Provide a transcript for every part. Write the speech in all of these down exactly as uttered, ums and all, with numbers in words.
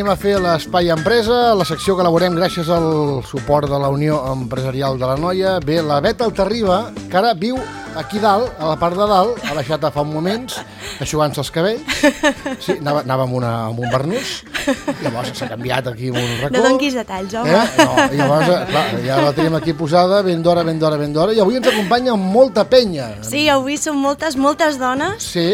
anem a fer l'Espai Empresa, la secció que elaborem gràcies al suport de la Unió Empresarial de l'Anoia. Bé, la Beta Altarriba, que ara viu aquí dalt, a la part de dalt, ha deixat fa uns moments, aixugant-se els cabells. Sí, anava, anava amb, una, amb un barnús, llavors s'ha canviat aquí amb un racó. No donquis detalls, home. Eh? No, i llavors, clar, ja la tenim aquí posada, ben d'hora, ben d'hora, ben d'hora, i avui ens acompanya molta penya. Sí, avui són moltes, moltes dones. Sí.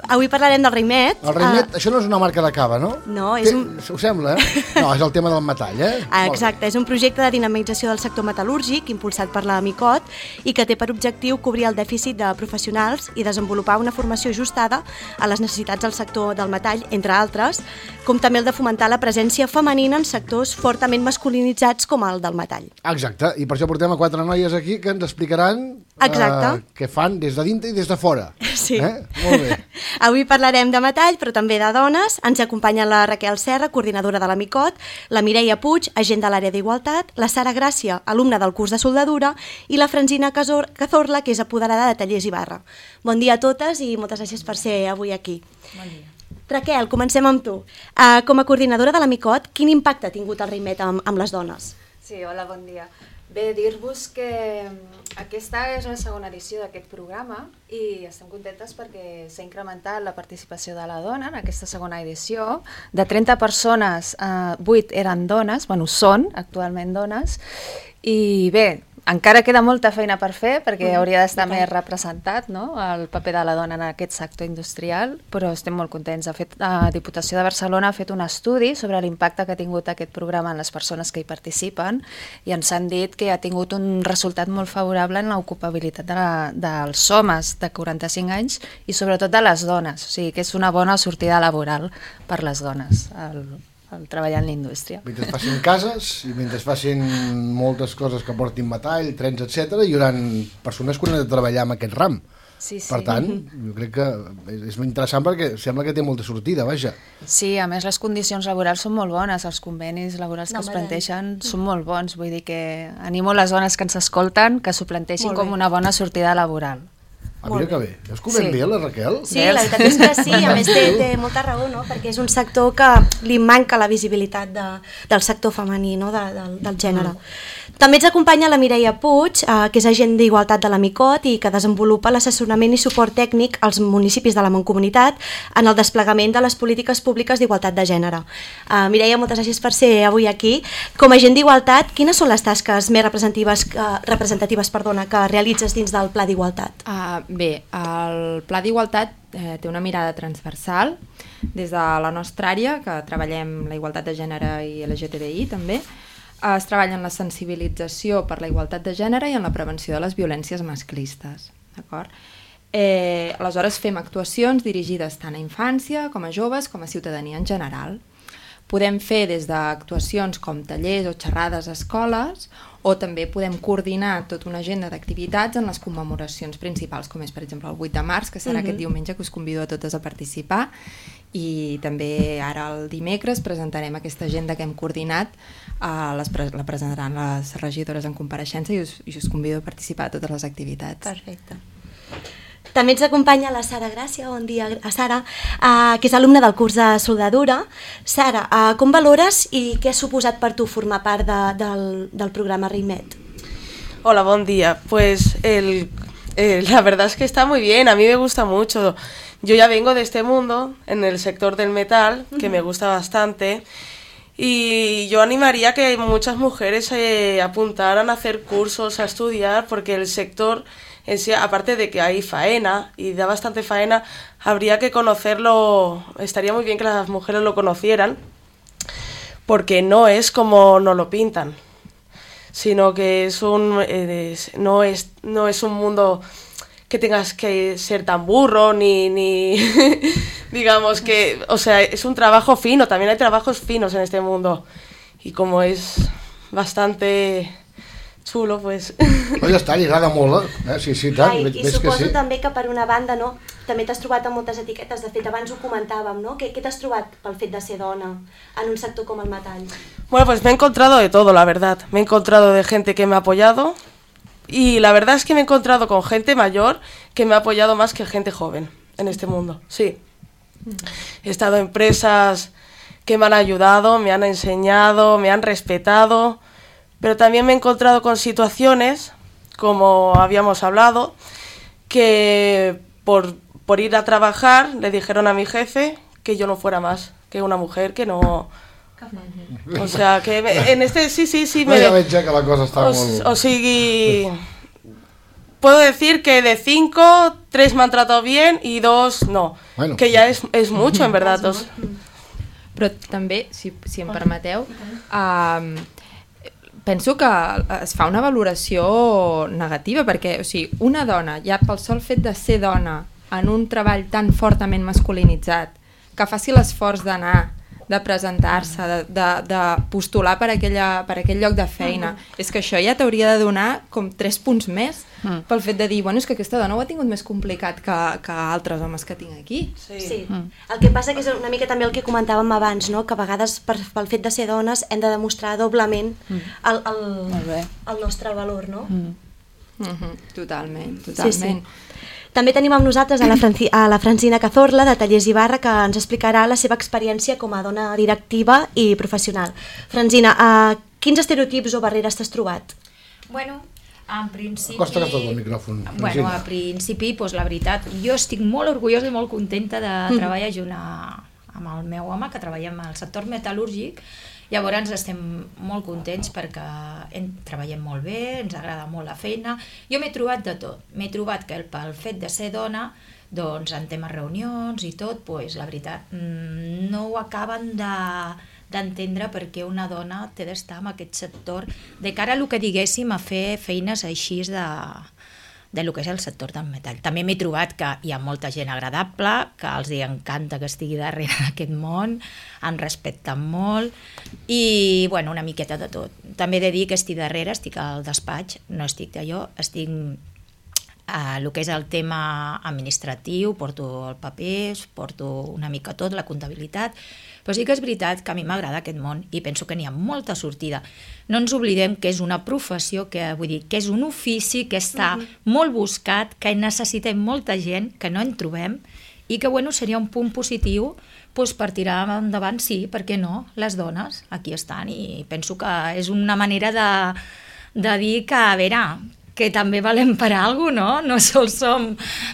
Avui parlarem del Raimet. El Raimet, uh, això no és una marca de cava, no? No, és un... Ho sembla, eh? No, és el tema del metall, eh? Ah, exacte, és un projecte de dinamització del sector metal·lúrgic impulsat per la Micot i que té per objectiu cobrir el dèficit de professionals i desenvolupar una formació ajustada a les necessitats del sector del metall, entre altres, com també el de fomentar la presència femenina en sectors fortament masculinitzats com el del metall. Exacte, i per això portem a quatre noies aquí que ens explicaran Exacte. Uh, què fan des de dintre i des de fora. Sí. Eh? Molt bé. Avui parlarem de metall, però també de dones. Ens acompanya la Raquel Serra, coordinadora de la Micot, la Mireia Puig, agent de l'àrea d'Igualtat, la Sara Gràcia, alumna del curs de soldadura, i la Francina Cazorla, que és apoderada de Tallers Ibarra. Bon dia a totes i moltes gràcies per ser avui aquí. Bon dia. Raquel, comencem amb tu. Uh, com a coordinadora de la Micot, quin impacte ha tingut el Raimet amb, amb les dones? Sí, hola, bon dia. Bé, dir-vos que aquesta és una segona edició d'aquest programa i estem contentes perquè s'ha incrementat la participació de la dona en aquesta segona edició. De trenta persones, eh, vuit eren dones, bueno, són actualment dones, i bé, encara queda molta feina per fer perquè mm, hauria d'estar més representat, no?, el paper de la dona en aquest sector industrial, però estem molt contents. De fet, la Diputació de Barcelona ha fet un estudi sobre l'impacte que ha tingut aquest programa en les persones que hi participen i ens han dit que ha tingut un resultat molt favorable en l'ocupabilitat de la, dels homes de quaranta-cinc anys i sobretot de les dones, o sigui que és una bona sortida laboral per les dones el, el treballar en la indústria. Mentre facin cases i mentre facin moltes coses que portin metall, trens, etcètera, hi haurà persones que han de treballar en aquest ram. Sí, sí. Per tant, jo crec que és molt interessant perquè sembla que té molta sortida, vaja. Sí, a més les condicions laborals són molt bones, els convenis laborals que no, es planteixen són molt bons, vull dir que animo les dones que ens escolten que s'ho planteixin com una bona sortida laboral. Ah, mira que bé. Veus que ho ven Sí. bé, la Raquel? Sí, la veritat és que sí, a més té, té molta raó, no? Perquè és un sector que li manca la visibilitat de, del sector femení, no? de, de, del gènere. Mm. També ens acompanya la Mireia Puig, eh, que és agent d'Igualtat de la Micot i que desenvolupa l'assessorament i suport tècnic als municipis de la Mancomunitat en el desplegament de les polítiques públiques d'igualtat de gènere. Eh, Mireia, moltes gràcies per ser avui aquí. Com a agent d'Igualtat, quines són les tasques més representatives, que, representatives perdona, que realitzes dins del Pla d'Igualtat? Uh, bé, el Pla d'Igualtat eh, té una mirada transversal des de la nostra àrea, que treballem la igualtat de gènere i L G T B I també. Es treballa en la sensibilització per la igualtat de gènere i en la prevenció de les violències masclistes. D'acord? Eh, aleshores fem actuacions dirigides tant a infància com a joves com a ciutadania en general. Podem fer des d'actuacions com tallers o xerrades a escoles o també podem coordinar tota una agenda d'activitats en les commemoracions principals, com és per exemple el vuit de març, que serà uh-huh. aquest diumenge, que us convido a totes a participar, i també ara el dimecres presentarem aquesta agenda que hem coordinat, eh, les pre la presentaran les regidores en compareixença i us, i us convido a participar a totes les activitats. Perfecte. També ens acompanya la Sara Gràcia, bon dia a Sara, uh, que és alumna del curs de soldadura. Sara, uh, com valores i què ha suposat per tu formar part de, del, del programa Raimet? Hola, bon día. Pues el, eh, la verdad es que está muy bien, a mí me gusta mucho. Yo ya vengo de este mundo, en el sector del metal, que uh-huh. me gusta bastante, y yo animaría a que muchas mujeres eh, apuntaran a hacer cursos, a estudiar, porque el sector, en sí, aparte de que hay faena, y da bastante faena, habría que conocerlo, estaría muy bien que las mujeres lo conocieran, porque no es como nos lo pintan, sino que es un, eh, es, no, es, no es un mundo que tengas que ser tan burro, ni, ni digamos que, o sea, es un trabajo fino, también hay trabajos finos en este mundo, y como es bastante xulo, pues... No, ja està, li agrada molt, eh? Sí, sí, tant, Ai, ves, I ves suposo que sí. també que per una banda, no, també t'has trobat amb moltes etiquetes, de fet abans ho comentàvem, no? Què, què t'has trobat pel fet de ser dona en un sector com el metall? Bueno, pues me he encontrado de todo, la verdad. Me he encontrado de gente que me ha apoyado, y la verdad es que me he encontrado con gente mayor que me ha apoyado más que gente joven en este mundo, sí. He estado en empresas que me han ayudado, me han enseñado, me han respetado, pero también me he encontrado con situaciones, como habíamos hablado, que por, por ir a trabajar le dijeron a mi jefe que yo no fuera más que una mujer, que no... O sea, que en este sí, sí, sí... Me... No, ja veig que la cosa està o, molt... O sigui... Puedo decir que de cinco, tres me han tratado bien y dos no. Bueno. Que ya es, es mucho, en verdad. Dos. Però també, si, si em permeteu, uh, penso que es fa una valoració negativa, perquè o sigui, una dona, ja pel sol fet de ser dona en un treball tan fortament masculinitzat, que faci l'esforç d'anar, de presentar-se, de, de, de postular per, aquella, per aquell lloc de feina, mm. és que això ja t'hauria de donar com tres punts més mm. pel fet de dir, bueno, és que aquesta dona ho ha tingut més complicat que, que altres homes que tinc aquí. Sí. sí. Mm. El que passa que és una mica també el que comentàvem abans, no? Que a vegades per, pel fet de ser dones hem de demostrar doblement mm. el, el, el nostre valor, no? Mm. Mm-hmm. Totalment, totalment. Sí, sí. També tenim amb nosaltres a la, Franci a la Francina Cazorla, de Tallers Ibarra, que ens explicarà la seva experiència com a dona directiva i professional. Francina, uh, quins estereotips o barreres t'has trobat? Bueno, en principi... Costa que tot el micròfon. Bueno, a principi, doncs, la veritat, jo estic molt orgullosa i molt contenta de mm. treballar junt a, amb el meu home, que treballem al sector metal·lúrgic. Llavors estem molt contents perquè en, treballem molt bé, ens agrada molt la feina. Jo m'he trobat de tot. M'he trobat que pel fet de ser dona, doncs en temes reunions i tot, doncs, la veritat, no ho acaben de d'entendre perquè una dona té d'estar en aquest sector de cara a el que diguéssim a fer feines així de... de lo que és el sector del metall. També m'he trobat que hi ha molta gent agradable, que els encanta que estigui darrere d'aquest món, em respecten molt i, bueno, una miqueta de tot. També he de dir que estic darrere, estic al despatx, no estic d'allò, estic a el que és el tema administratiu, porto el papers, porto una mica tot, la comptabilitat, però sí que és veritat que a mi m'agrada aquest món i penso que n'hi ha molta sortida. No ens oblidem que és una professió, que vull dir, que és un ofici que està uh-huh. molt buscat, que necessitem molta gent, que no en trobem, i que bueno, seria un punt positiu doncs, per tirar endavant, sí, per què no? Les dones aquí estan i penso que és una manera de, de dir que, a veure, que també valem per a alguna cosa, no? No sols som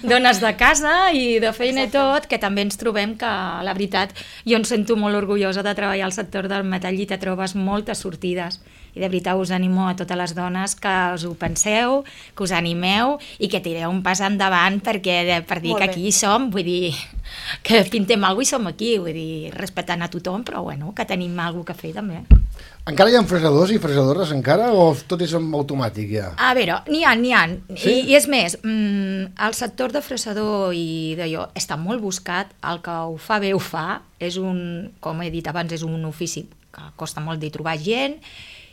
dones de casa i de feina i tot, que també ens trobem que, la veritat, jo em sento molt orgullosa de treballar al sector del metall i te trobes moltes sortides. I de veritat us animo a totes les dones que us ho penseu, que us animeu i que tireu un pas endavant perquè per dir que aquí som, vull dir, que pintem alguna cosa i som aquí, vull dir, respectant a tothom, però bueno, que tenim alguna cosa a fer també. Encara hi ha fresadors i fresadores encara o tot és automàtic ja? A veure, n'hi ha, n'hi ha. Sí? I, I és més, mmm, el sector de fresador i d'allò està molt buscat, el que ho fa bé ho fa, és un, com he dit abans, és un ofici que costa molt de trobar gent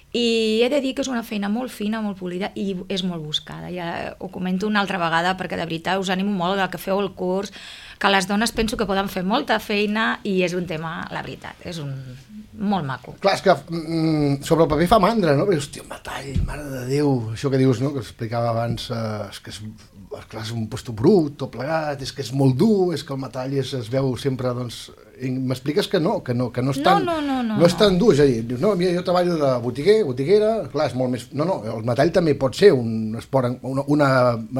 i he de dir que és una feina molt fina, molt polida i és molt buscada. Ja ho comento una altra vegada perquè de veritat us animo molt que feu el curs, que les dones penso que poden fer molta feina i és un tema, la veritat, és un molt maco. Clar, és que mm, sobre el paper fa mandra, no? Perquè, hòstia, metall, mare de Déu, això que dius, no?, que explicava abans, eh, és que és, clar, és un puesto brut, tot plegat, és que és molt dur, és que el metall es, es veu sempre, doncs... M'expliques que no, que no, que no és tan, no, no, no, no és tan dur, és a dir, dius, no, mira, jo treballo de botiguer, botiguera, clar, és molt més... No, no, el metall també pot ser un esport, una, una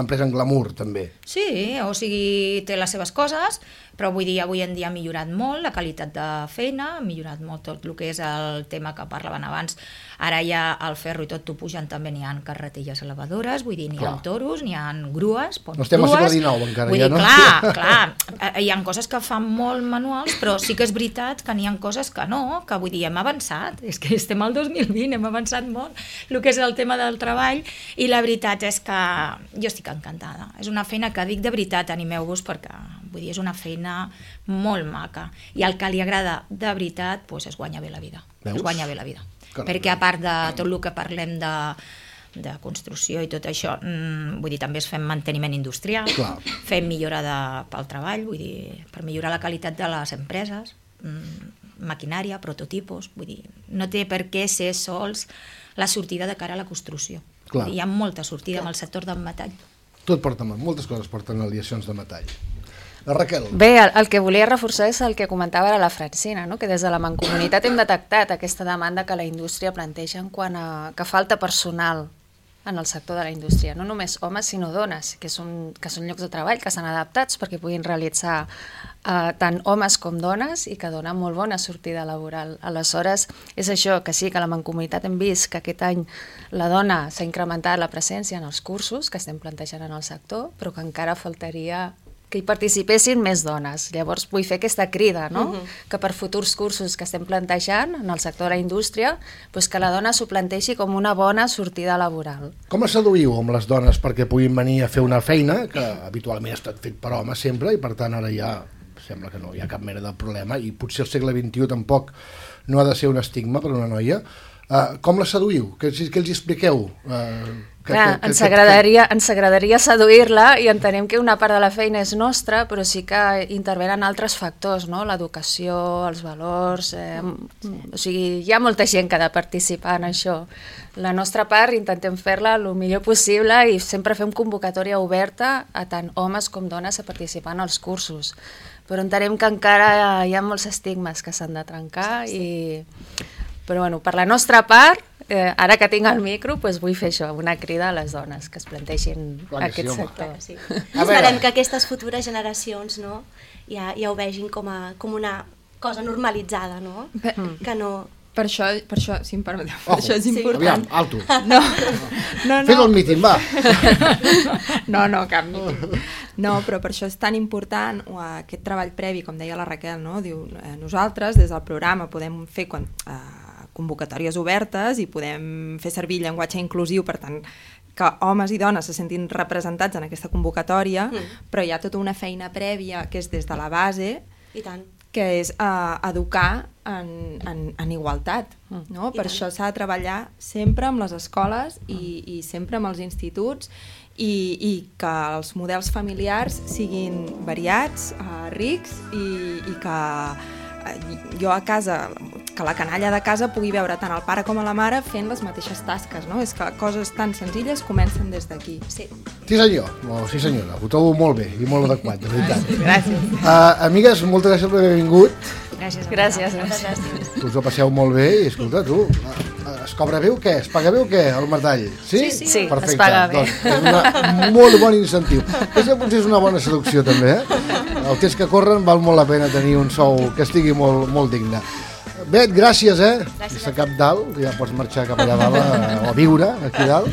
empresa en glamour, també. Sí, o sigui, té les seves coses, però vull dir, avui en dia ha millorat molt la qualitat de feina, ha millorat molt tot el que és el tema que parlaven abans. Ara ja el ferro i tot t'ho pugen, també n'hi ha carretilles elevadores, vull dir, n'hi ha toros, n'hi ha grues, no estem al segle dinou encara, vull ja, dir, no? Clar, clar, hi ha coses que fan molt manuals, però sí que és veritat que n'hi ha coses que no, que vull dir, hem avançat, és que estem al dos mil vint, hem avançat molt, el que és el tema del treball, i la veritat és que jo estic encantada. És una feina que dic de veritat, animeu-vos, perquè vull dir, és una feina molt maca, i el que li agrada de veritat, doncs es guanya bé la vida, Veus? es guanya bé la vida. Caram. Perquè a part de tot el que parlem de, de construcció i tot això, mmm, vull dir, també es fem manteniment industrial, Clar. fem millora de, pel treball, vull dir, per millorar la qualitat de les empreses, mmm, maquinària, prototipos, vull dir, no té per què ser sols la sortida de cara a la construcció. Vull dir, hi ha molta sortida Clar. en el sector del metall. Tot porta, moltes coses porten aliacions de metall. La Raquel. Bé, el, el que volia reforçar és el que comentava ara la Francina, no? Que des de la Mancomunitat hem detectat aquesta demanda que la indústria planteja en quant a que falta personal en el sector de la indústria, no només homes sinó dones, que, són, que són llocs de treball que s'han adaptats perquè puguin realitzar eh, tant homes com dones i que donen molt bona sortida laboral. Aleshores, és això, que sí, que la Mancomunitat hem vist que aquest any la dona s'ha incrementat la presència en els cursos que estem plantejant en el sector, però que encara faltaria que hi participessin més dones. Llavors vull fer aquesta crida, no? Uh-huh. Que per futurs cursos que estem plantejant en el sector de la indústria, doncs que la dona s'ho planteixi com una bona sortida laboral. Com es seduïu amb les dones perquè puguin venir a fer una feina que habitualment ha estat fet per homes sempre i per tant ara ja sembla que no hi ha cap mena de problema i potser al segle vint-i-u tampoc no ha de ser un estigma per una noia. Uh, com la seduïu? Què, què els expliqueu? Uh, que, Clar, que, ens, que, agradaria, ens agradaria seduir-la i entenem que una part de la feina és nostra, però sí que intervenen altres factors, no? L'educació, els valors... Eh, o sigui, hi ha molta gent que ha de participar en això. La nostra part intentem fer-la el millor possible i sempre fem convocatòria oberta a tant homes com dones a participar en els cursos. Però entenem que encara hi ha molts estigmes que s'han de trencar i... Però bueno, per la nostra part, eh, ara que tinc el micro, doncs vull fer això, una crida a les dones que es planteixin Clar que aquest sí, home. sector. Sí. Esperem que aquestes futures generacions, no, ja, ja ho vegin com, a, com una cosa normalitzada, no? Per, Que no... per això, per això, si em permeteu, per Ojo, això és important. aviam, alto. No, no, Fes el no. míting, va. No, no, cap míting. No, però per això és tan important uh, aquest treball previ, com deia la Raquel, no? Diu, eh, nosaltres des del programa podem fer quan, eh, convocatòries obertes i podem fer servir llenguatge inclusiu, per tant, que homes i dones se sentin representats en aquesta convocatòria, mm. però hi ha tota una feina prèvia que és des de la base, I tant. que és uh, educar en, en, en igualtat. No? Per això s'ha de treballar sempre amb les escoles i, i sempre amb els instituts i, i que els models familiars siguin variats, uh, rics i, i que jo a casa, que la canalla de casa pugui veure tant el pare com a la mare fent les mateixes tasques, no? És que coses tan senzilles comencen des d'aquí. Sí. Sí senyor, o sí senyora, ho trobo molt bé i molt adequat, de veritat. Gràcies. Uh, amigues, moltes gràcies per haver vingut. Gràcies. Gràcies. gràcies. Us ho passeu molt bé i escolta, tu, uh, es cobra bé o què? Es paga bé o què, el metall? Sí? Sí, sí, sí, Perfecte. es paga bé. Doncs és una molt bon incentiu. Aquesta potser és una bona seducció també, eh? El temps que corren val molt la pena tenir un sou que estigui molt, molt digne. Bet, gràcies, eh? Gràcies. A cap dalt, ja pots marxar cap allà dalt a, o a viure aquí dalt.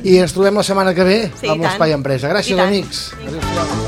I ens trobem la setmana que ve Sí, amb l'Espai Empresa. Gràcies, amics. Adéu-siau.